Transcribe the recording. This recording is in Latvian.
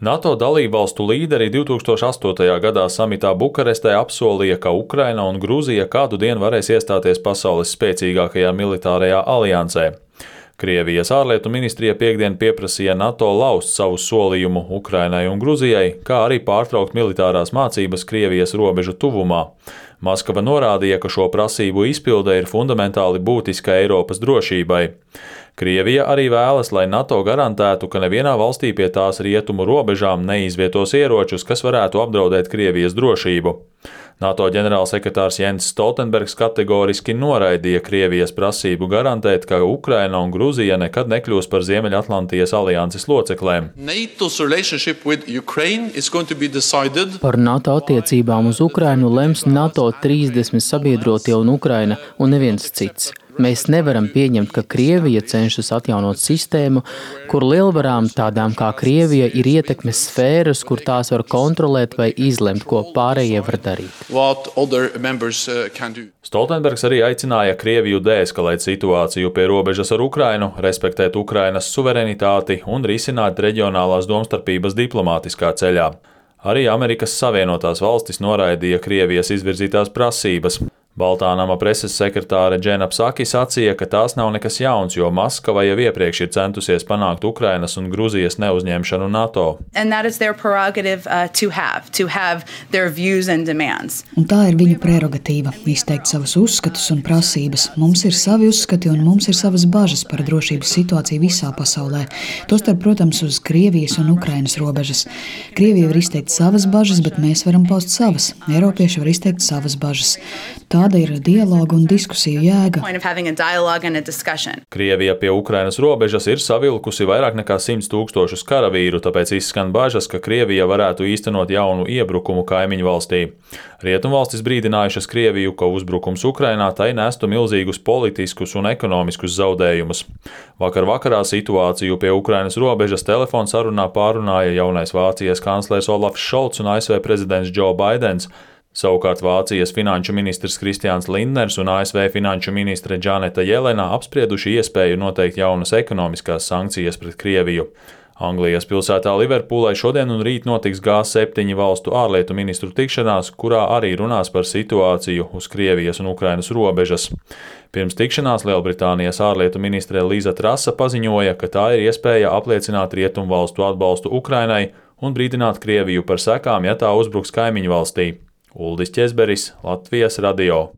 NATO dalībvalstu līderi 2008. gadā samitā Bukarestē apsolīja, ka Ukraina un Grūzija kādu dienu varēs iestāties pasaules spēcīgākajā militārajā aliansē. Krievijas ārlietu ministrija piektdien pieprasīja NATO laust savu solījumu Ukrainai un Gruzijai, kā arī pārtraukt militārās mācības Krievijas robežu tuvumā. Maskava norādīja, ka šo prasību izpilde ir fundamentāli būtiska Eiropas drošībai. Krievija arī vēlas, lai NATO garantētu, ka nevienā valstī pie tās rietumu robežām neizvietos ieročus, kas varētu apdraudēt Krievijas drošību. NATO ģenerālsekretārs Jens Stoltenbergs kategoriski noraidīja Krievijas prasību garantēt, ka Ukraina un Gruzija nekad nekļūs par Ziemeļatlantijas alianses loceklēm. Par NATO attiecībām uz Ukrainu lems NATO 30 sabiedrotie un Ukraina un neviens cits. Mēs nevaram pieņemt, ka Krievija cenšas atjaunot sistēmu, kur lielvarām tādām kā Krievija ir ietekmes sfēras, kur tās var kontrolēt vai izlemt, ko pārējie var darīt. Stoltenbergs arī aicināja Krieviju deeskalēt situāciju pie robežas ar Ukrainu, respektēt Ukrainas suverenitāti un risināt reģionālās domstarpības diplomātiskā ceļā. Arī Amerikas Savienotās valstis noraidīja Krievijas izvirzītās prasības. Baltā nama preses sekretāre Džena Psaki sacīja, ka tās nav nekas jauns, jo Maskava jau iepriekš ir centusies panākt Ukrainas un Gruzijas neuzņemšanu NATO. Un tā ir viņu prerogatīva – izteikt savus uzskatus un prasības. Mums ir savi uzskati un mums ir savas bažas par drošības situāciju visā pasaulē. Tostarp, protams, uz Krievijas un Ukrainas robežas. Krievija var izteikt savas bažas, bet mēs varam paust savas. Eiropieši var izteikt savas bažas. Tāda ir dialoga un diskusiju jēga. Krievija pie Ukrainas robežas ir savilkusi vairāk nekā 100 000 karavīru, tāpēc izskan bažas, ka Krievija varētu īstenot jaunu iebrukumu kaimiņu valstī. Rietumvalstis brīdinājušas Krieviju, ka uzbrukums Ukrainā tai nestu milzīgus politiskus un ekonomiskus zaudējumus. Vakar vakarā situāciju pie Ukrainas robežas telefonsarunā pārunāja jaunais Vācijas kanclers Olafs Šolts un ASV prezidents Joe Baidens. Savukārt Vācijas finanšu ministrs Kristians Lindners un ASV finanšu ministre Džaneta Jelena apsprieduši iespēju noteikt jaunas ekonomiskās sankcijas pret Krieviju. Anglijas pilsētā Liverpūlē šodien un rīt notiks G7 valstu ārlietu ministru tikšanās, kurā arī runās par situāciju uz Krievijas un Ukrainas robežas. Pirms tikšanās Lielbritānijas ārlietu ministre Liza Trasa paziņoja, ka tā ir iespēja apliecināt rietumvalstu atbalstu Ukrainai un brīdināt Krieviju par sekām, ja tā uzbruks kaimiņu valstī. Uldis Ķezberis, Latvijas radio.